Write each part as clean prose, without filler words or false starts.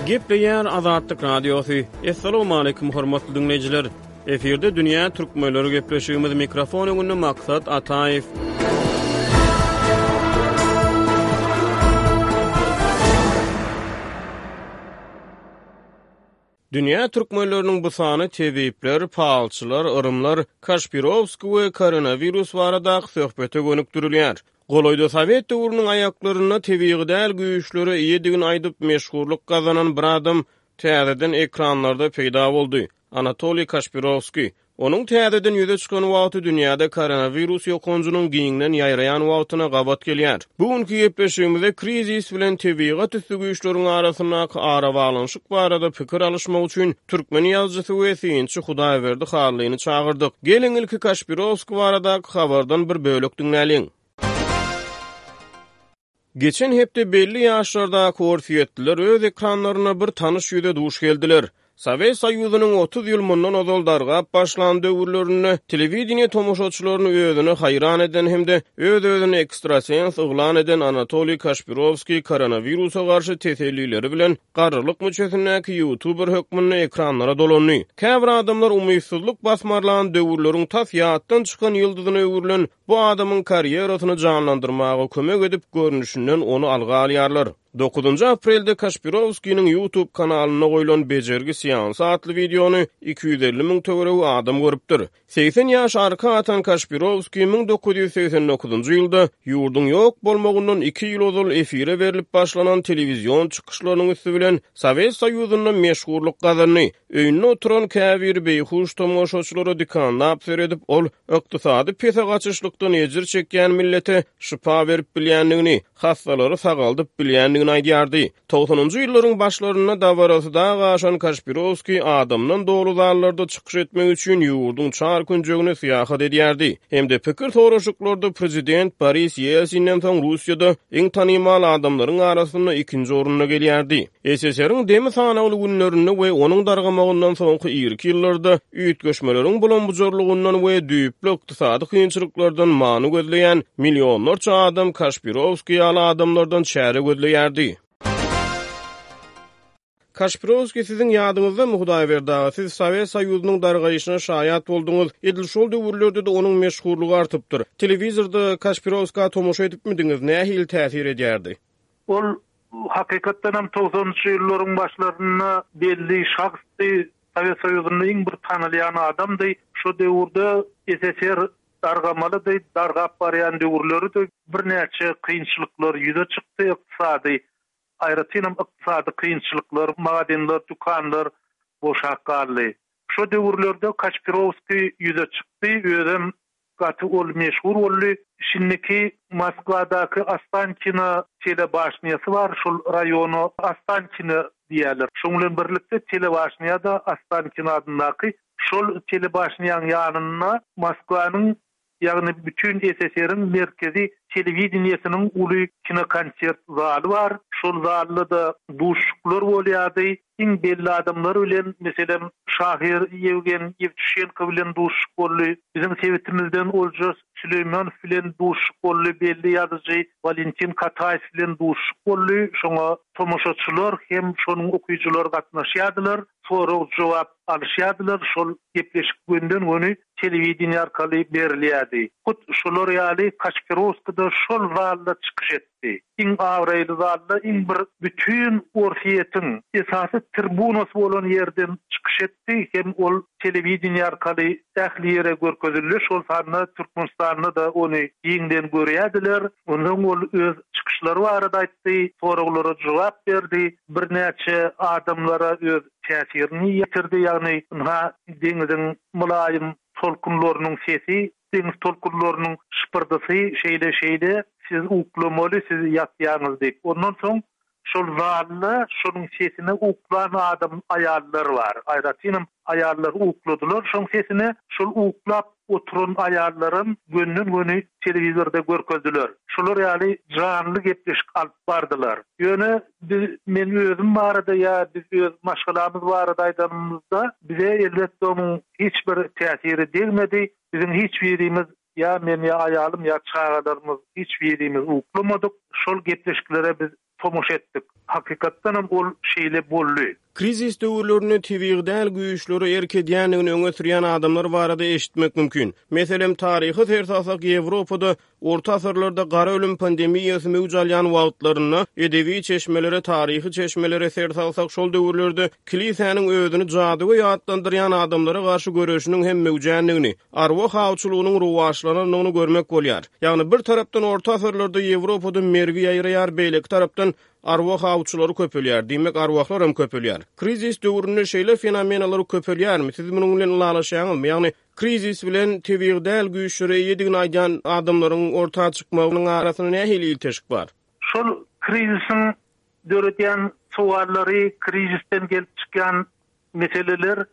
Gepleýär Azatlyk Radiosy. Assalamualaikum hormatly diňleýjiler. Efirde dünýä türkmenleri gepleşigimiz mikrofon öňünde Maksat Ataýew. Dünýä türkmenleriniň bu sany tebipler, palçylar, yrymlar, Kaşpirowskiý we koronawirus baradaky söhbete gönükdirilýär. Golaýda sowet döwrüniň aýaklarynda tebigy däl güýçlere eýedigini aýdyp meşhurlyk gazanan bir adam täzeden ekranlarda peýda boldy. Anatoliý Kaşpirowskiý. Onuň täzeden ýüze çykan wagty dünýäde koronawirus ýokanjynyň giňden ýaýraýan wagtyna gabat gelýär. Bu günki gepleşigimizde krizis bilen tebigat üsti güýçleriň arasyndaky arabaglanyşyk barada pikir alyşmak üçin türkmen ýazyjysy we synçy Hudaýberdi Hallyny çagyrdyk. Geliň ilki Kaşpirowskiý baradaky habardan bir bölek diňläliň. Geçen hepde belli ýaşlardaky orsýetliler öz ekranlarynda bir tanyş ýüze duş geldiler. Sowet Soýuzynyň 30 ýyl mundan ozal dargap başlan döwürlerinde telewideniýe tomaşaçylaryny özüne haýran eden hem-de öz-özüni ekstrasens yglan eden Anatoliý Kaşpirowskiý koronawirusa garşy tesellileri bilen garrylyk müçesindäki ýutuber hökmünde ekranlara dolandy. Käbir adamlar umytsyzlyk basmarlan döwürleriň tas ýatdan çykan ýyldyzyna öwrülen Bu adamyň karýerasyny janlandyrmaga kömek edip, görnüşinden ony alga alýarlar. Dokuzynjy aprelde Kaşpirowskiniň YouTube kanalynda goýlan Bejergi seansy atly wideony 250 müň töweregi adam görüpdir. 80 ýaş arka atan Kaşpirowskiý 1989-njy ýylda ýurduň ýok bolmagyndan iki ýyl ozal efire berlip başlanan telewizion çykyşlarynyň üsti bilen Sowet Soýuzynda meşhurlyk gazandy. Öýünde oturan käbir beýhuş tomaşaçylara dikanlap seredip, ol ykdysady pese gaçyşlykdan ejir çekýän millete şypa berip bilýändigini, hassalary sagaldyp bilýändigini aýdýardy. Togsanynjy ýyllaryň başlarynda dabarasy dag aşan Kaşpirowskiý adamdan doly zallarda çykyş etmek üçin ýurduň çar künjegine syýahat edýärdi hem-de pikir soraşyklarda prezident Boris Ýelsinden soň Russiýada iň tanymal adamlaryň arasynda ikinji orunda gelýärdi. SSR-iň demi sanawly günlerinde we onuň dargamagyndan soňky irki ýyllarda üýtgeşmeleriň bulam-bujarlygyndan we düýpli ykdysady kynçylyklardan many gözleýän millionlarça adam Kaşpirowskiý ýaly adamlardan çäre gözleýärdi. Kaşpirowskiý siziň ýadyňyzdamy, Hudaýberdi aga, siz Sowet Soýuzynyň dargaýşyna şaýat bolduňyz, edil şol döwürlerde-de onuň meşhurlygy artypdyr. Telewizorda Kaşpirowskä tomaşa edipmidiňiz, nähili täsir edýärdi? Ol hakykatdanam togsanynjy ýyllaryň başlarynda belli şahsdy, Sowet Soýuzynda iň bir tanalýan adamdy. Şo döwürde SSR dargamalydy, dargap barýan döwürleridi. Birnäçe kynçylyklar ýüze çykdy, ykdysady, aýratynam ykdysady kynçylyklar, magazinler, dükanlar boşap galdy. Şo döwürlerde Kaçpirowskiý ýüze çykdy, özem Gaty ol meşhur boldy. Şindiki Moskwadaky Ostankino telebaşnýasy bar, şol raýona Ostankino diýýärler. Şoň bilen birlikde telebaşnýa-da Ostankino adyndaky. Şol telebaşnýaň ýanynda Moskwanyň, ýagny bütin SSR-iň merkezi telewideniýesiniň uly kinokonsert zaly bar. Şol zalda-da duşuşyklar bolýardy. Iň belli adamlar bilen, meselem, şahyr Ýewgen Ýewtuşenko bilen duşuşyk boldy. Biziň sebitimizden Oljas Süleýmanow bilen duşuşyk boldy, belli ýazyjy Walentin Kataýew bilen duşuşyk boldy. Şoňa tomaşaçylar hem şonuň okyjylary gatnaşýardylar, sorag-jogap alyşýardylar. Şol gepleşik gönden-göni telewideniýe arkaly berilýärdi. Hut şolar ýaly Kaçperowskiý-de şol zalda çykyş etdi. Iň abraýly zalda iň bir bütin Orsýetiň esasy tribunasy bolan ýerden çykyş etdi hem ol telewideniýe arkaly ähli ýere görkezildi, şol sanda Türkmenistanda-da ony giňden görýärdiler. Onsoň ol öz çykyşlary barada aýtdy, soraglara jogap berdi, birnäçe adamlara öz täsirini ýetirdi, ýagny ynha deňiziň mylaýym tolkunlarynyň sesi Deňiz tolkunlarynyň şypyrdysy şeýle-şeýle, siz uklamaly, siz ýatýaňyz diýip. Ondan soň şol zalda şonuň sesine uklan adam aýallar bar. Aýratynam aýallar ukladylar şoň sesine. Şol uklap oturan aýallaram gönden-göni telewizorda görkezdiler. Şolar ýaly janly gepleşik alyp bardylar. Ýöne biz men özüm barada ýa biz öz maşgalamyz barada aýdanymyzda bize elbetde onuň hiç bir täsiri degmedi. Biziň hiç birimiz, ýa men, ýa aýalym, ýa çagalarymyz hiç birimiz uklamadyk. Şol gepleşiklere biz. tomaşa etdik. Hakykatdanam ol şeýle boldy. Krizis döwürlerinde tebigy däl güýçlere erk edýändigini öňe sürýän adamlar barada eşitmek mümkin. Meselem, taryha ser salsak, Ýewropada Orta asyrlarda gara ölüm pandemiýasy möwç alýan wagtlarynda edebi çeşmelere, taryhy çeşmelere ser salsak, şol döwürlerde kilisäniň özüni jadygöý atlandyrýan adamlara garşy göreşiniň hem möwjändigini, arwah awçylygynyň rowaçlanandygyny görmek bolýar. Ýagny bir tarapdan orta asyrlarda Ýewropada mergi ýaýraýar, beýleki tarapdan arwah awçylary köpelýär, diýmek arwahlar hem köpelýär. Krizis döwründe şeýle fenomenalar köpelýärmi? Siz munuň bilen ylalaşýaňyzmy? Ýagny krizis bilen tebigy däl güýçlere eýedigini aýdýan adamlaryň orta çykmagynyň arasynda nähili ilteşik bar? Şol krizisiň döredýän sowallary, krizisden gelip çykýan meseleler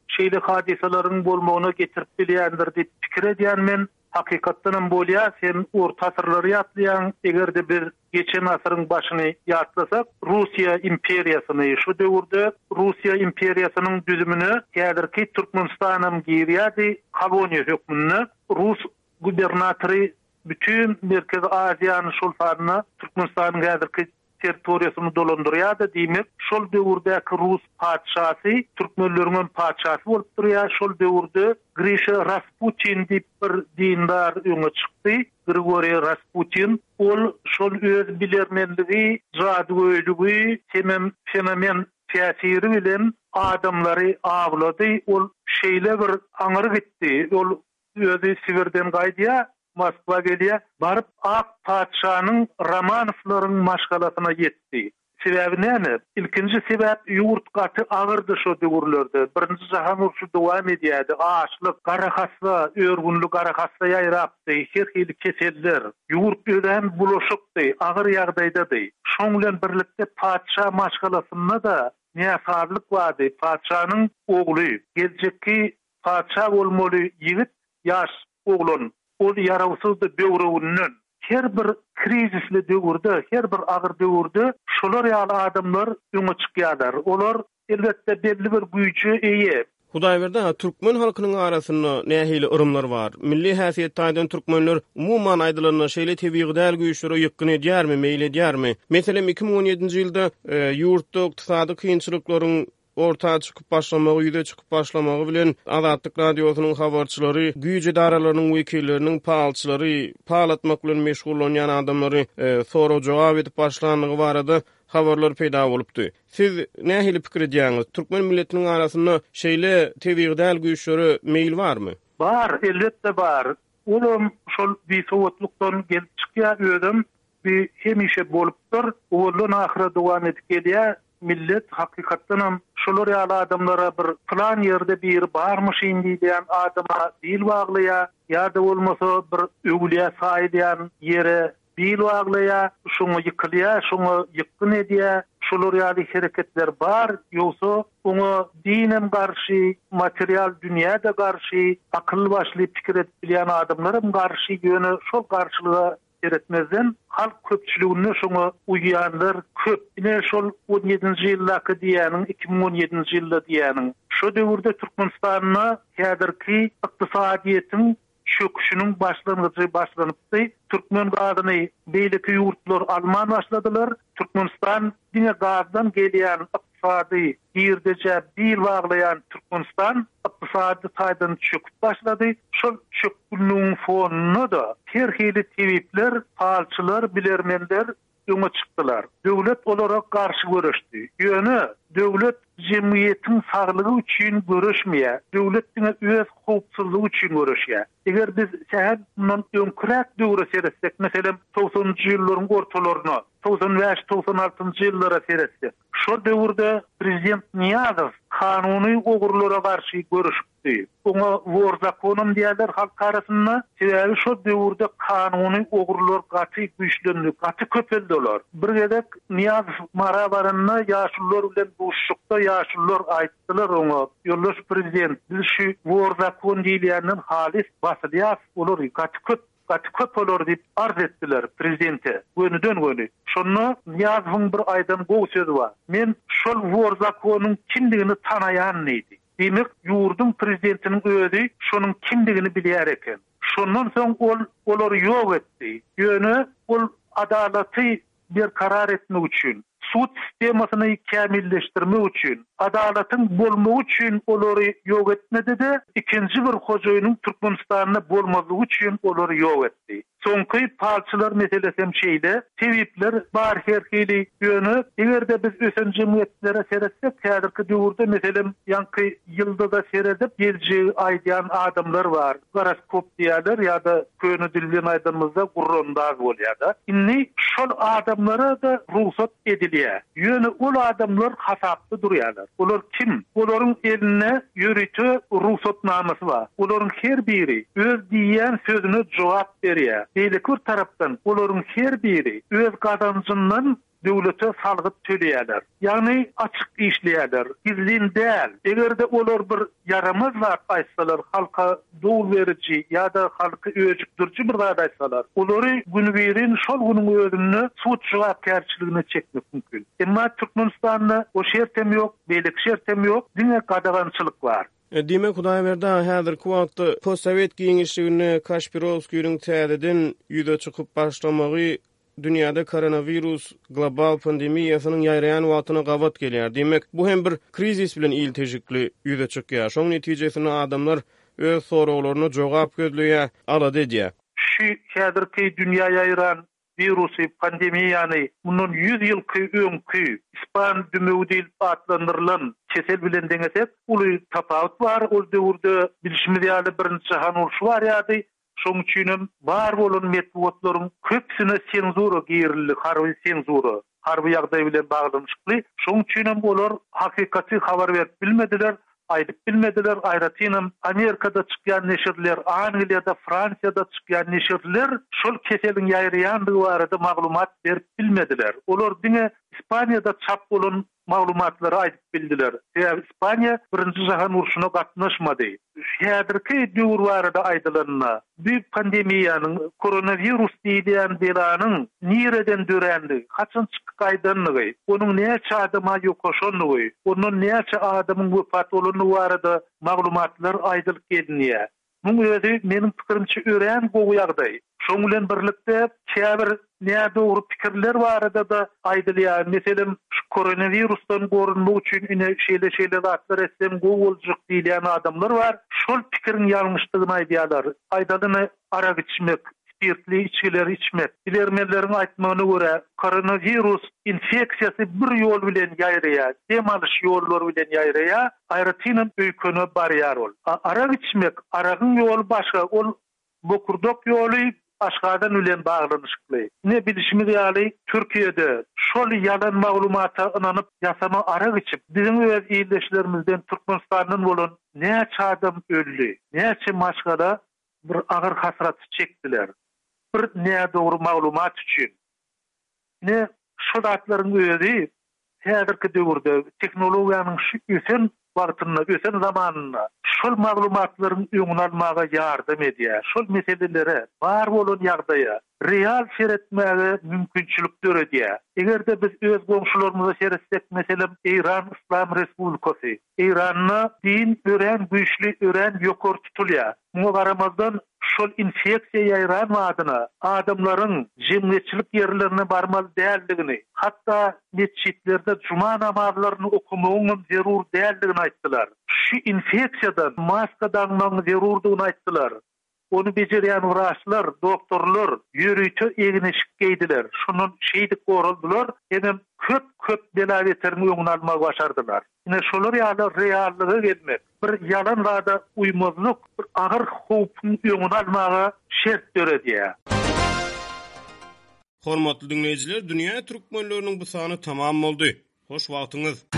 şeýle hadysalaryň bolmagyna getirip bilýändir diýip pikir edýän men. Hakykatdanam bolýar, sen orta asyrlary ýatlaýaň, eger-de biz geçen asyryň başyny ýatlasak, Russiýa imperiýasyny, şo döwürde Russiýa imperiýasynyň düzümine häzirki Türkmenistanam girýärdi, koloniýa hökmünde. Rus gubernatory bütin Merkezi Aziýany, şol sanda Türkmenistanyň häzirki territoriýasyny dolandyrýardy, diýmek, şol döwürdäki rus patyşasy türkmenleriňem patyşasy bolup durýar. Şol döwürde Grişa Rasputin diýip bir dindar öňe çykdy, Grigoriý Rasputin. Ol şol öz bilermenligi, jadygöýlügi hemem fenomen täsiri bilen adamlary awlady. Ol şeýle bir aňry gitdi, ol Özi Sibirden gaýdýar, Moskwa gelýär. Baryp ak patyşanyň Romanowlaryň maşgalasyna ýetdi. Sebäbi näme? Ilkinji sebäp ýurt gaty agyrdy şo döwürlerde. Birinji jahan urşy dowam edýärdi. Açlyk, garahassa, örgünli garahassa ýaýrapdy, her hili keseller. Ýurt örän bulaşykdy, agyr ýagdaýdady. Şoň bilen birlikde patyşa maşgalasynda-da näsazlyk bardy. Patyşanyň ogly, geljekki Patyşa bolmaly ýigit ýaş oglan. Ol ýarawsyzdy böwreginden. Her bir krizisli döwürde, her bir agyr döwürde şolar ýaly adamlar öňe çykýarlar. Olar, elbetde, belli bir güýje eýe. Hudaýberdi aga, türkmen halkynyň arasynda nähili yrymlar bar? Milli häsiýet taýdan türkmenler, umuman aýdylanda, şeýle tebigy däl güýçlere ýykgyn edýärmi, meýil edýärmi? Meselem, 2017-nji ýylda ýurtda ykdysady kynçylyklaryň orta çykyp başlamagy, ýüze çykyp başlamagy bilen Azatlyk Radiosynyň habarçylary güýç edaralarynyň wekilleriniň palçylary, pal atmak bilen meşgullanýan adamlary sorag-jogap edip başlandygy barada habarlar peýda bolupdy. Siz nähili pikir edýäňiz, türkmen milletiniň arasynda şeýle tebigy däl güýçlere meýil barmy? Bar, elbetde bar. Olam şol bisowatlykdan gelip çykýar, özem bi hemişe bolupdyr, owaldan ahyra dowam edip gelýär. Millet hakykatdanam şolar ýaly adamlara bir pylan ýerde biri barmyşyn diýilýän adama bil baglaýar, ýa-da bolmasa bir öwülýä saýylýan ýere bil baglaýar, şoňa ýykylýar, şoňa ýykgyn edýär. Şolar ýaly hereketler bar, ýogsa oňa dinem garşy, material dünýä-de garşy, akylly-başly pikir edip bilýän adamlaram garşy, ýöne şol garşylyga Seretmezden, halk köpçüliginde şoňa uýýanlar köp. Ine, şol on ýedinji ýyldaky diýýäniň, 2017-nji ýylda diýýäniň. Şo döwürde Türkmenistanda häzirki ykdysadyýetiň çöküşiniň başlangyjy başlanypdy. Türkmen gazyny beýleki ýurtlar alman başladylar. Türkmenistan diňe gazdan gelýän ykdysady girdejä bil baglaýan Türkmenistan ykdysady taýdan çöküp başlady. Şol çökgünligiň fonunda-da her hili tebipler, palçylar, bilermenler öňe çykdylar. Döwlet olara garşy göreşdi. Ýöne döwlet jemgyýetiň saglygy üçin göreşmeýär. Döwlet diňe öz howpsuzlygy üçin göreşýär. Eger biz sähel mundan öňküräk döwre seretsek, meselem, togsanynjy ýyllaryň ortalaryna, 95, 96-njy ýyllara seretsek, şol döwürde prezident Nyýazow kanuny ogrulara garşy göreşipdi. Oňa wor zakonam diýýärler halk arasynda. Sebäbi şol döwürde kanuny ogrular gaty güýçlendi, gaty köpeldi olar. Bir gezek Nyýazow Mara baranda ýaşulular bilen duşuşykda ýaşulular aýtdylar oňa, Ýoldaş prezident, biz şu wor zakon diýilýänden halys basylýas, olar gaty köp Gaty köp olar diýip arz etdiler prezidente gönüden-göni. Şonda Nyýazowyň bir aýdan gowy sözi bar. Men şol wor zakonyň kimdigini tanaýan diýdi. Diýmek, ýurduň prezidentiniň özi şonuň kimdigini bilýär eken. Şondan soň ol olary ýok etdi. Ýöne ol adalaty. berkarar etmek üçin, sud sistemasyny kämilleşdirmek üçin, adalatyň bolmagy üçin olary ýok etmedi-de, ikinji bir hojaýynyň Türkmenistanda bolmazlygy üçin olary ýok etdi. Soňky palçylar meselesem şeýle, tebipler bar her hili, ýöne eger-de biz ösen jemgyýetlere seretsek, häzirki döwürde meselem ýaňky ýyldyza seredip geljegi aýdýan adamlar bar, goroskop diýýärler ýa-da köne dil bilen aýdanymyzda gurrandaz bolýar-da. Indi şol adamlara-da rugsat edilýär. Ýöne ol adamlar hasapda durýarlar. Olar kim? Olaryň elinde ýörite rugsatnamasy bar. Olaryň her biri öz diýýän sözüne jogap berýär. Beýleki bir tarapdan, olaryň her biri öz gazanjyndan döwlete salgyt töleýärler. Ýagny açyk işleýärler, gizlin däl. Eger-de olar bir ýaramaz zat aýtsalar, halka dowul beriji ýa-da halky öjükdiriji bir zat aýtsalar, olary günübirin şol günüň özünde sud jogapkärçiligine çekmek mümkin. Emma Türkmenistanda o şertem ýok, beýleki şertem ýok, diňe gadagançylyk bar. Diýmek, Hudaýberdi aga, häzirki wagtda postsowet giňişliginde Kaşpirowskiniň täzeden ýüze çykyp başlamagy dünýäde koronawirus global pandemiýasynyň ýaýraýan wagtyna gabat gelýär. Diýmek, bu hem bir krizis bilen ilteşikli ýüze çykýar. Şoň netijesinde adamlar öz soraglaryna jogap gözleýär, alada edýär. Şu häzirki dünýä ýaýran wirusy, pandemiýany mundan ýüz ýylky öňki ispan dümewi diýlip atlandyrylan kesel bilen deňesek, uly tapawut bar. Ol döwürde bilşimiz ýaly Birinji jahan urşy barýardy. Şonuň üçinem bar bolan metbugatlaryň köpüsine senzura girildi, harby senzura, harby ýagdaý bilen baglanyşykly. Şonuň üçinem olar hakykaty habar berip bilmediler, aýdyp bilmediler. Aýratynam Amerikada çykýan neşirler, Angliýada, Fransiýada çykýan neşirler şol keseliň ýaýraýandygy barada maglumat berip bilmediler. Olar diňe Ispaniýada çap bolan maglumatlary aýdyp bildiler. Sebäbi Ispaniýa Birinji jahan urşuna gatnaşmady. Häzirki döwür barada aýdylanda, bu pandemiýanyň, koronawirus diýilýän belanyň nireden dörändigi, haçan çykyp gaýdandygy, onuň näçe adama ýokaşandygy, ondan näçe adamyň wepat bolandygy barada maglumatlar aýdylyp gelinýär. Muň özi, meniň pikirimçe, örän gowy ýagdaý. Şoň bilen birlikde, käbir nädogry pikirler barada-da aýdylýar. Meselem, şu koronawirusdan gorunmak üçin ine şeýle-şeýle zatlar etseň gowy boljak diýilýän adamlar bar. Şol pikiriň ýalňyşdygyny aýdýarlar. Aýdalyny, arak içmek, spirtli içgileri içmek. Bilermenleriň aýtmagyna görä, koronawirus infeksiýasy bir ýol bilen ýaýraýar, dem alyş ýollary bilen ýaýraýar, aýratynam öýkene barýar ol. A arak içmek, aragyň ýoly başga, ol bokurdak ýoly aşgazan bilen baglanyşykly. Ine, bilşimiz ýaly, Türkiýede şol ýalan maglumata ynanyp, ýasama arak içip, biziň öz ildeşlerimizden Türkmenistandan bolan näçe adam öldi, näçe maşgala bir agyr hasraty çekdiler. Bir nädogry maglumat üçin. Ine, şu zatlaryň özi häzirki döwürde, tehnologiýanyň şu ösen wagtynda, ösen zamanynda şol maglumatlaryň öňüni almaga ýardam edýär. Şol meselelere, bar bolan ýagdaýa real seretmäge mümkinçilik döredýär. Eger-de biz öz goňşularymyza seretsek, meselem, Eýran Yslam Respublikasy, Eýranda din örän güýçli, örän ýokary tutulýar. Muňa garamazdan, şol infeksiýa ýaýran badyna adamlaryň jemgyýetçilik ýerlerine barmaly däldigini, hatda metjitlerde juma namazlaryny okamagyňam zerur däldigini aýtdylar. Şu infeksiýadan maska daňmagyň zerurdygyny aýtdylar. Ony bejerýän wraçlar, doktorlar ýörite egin-eşik geýdiler. Şondan şeýdip goraldylar hemem köp-köp bela-beteriň öňüni almagy başardylar. Ine, şolar ýaly reallyga gelmek, bir ýalan zada uýmazlyk bir agyr howpuň öňüni almaga şert döredýär. Hormatly diňleýjiler, Dünýä türkmenleriniň bu sany tamam boldy. Hoş wagtyňyz!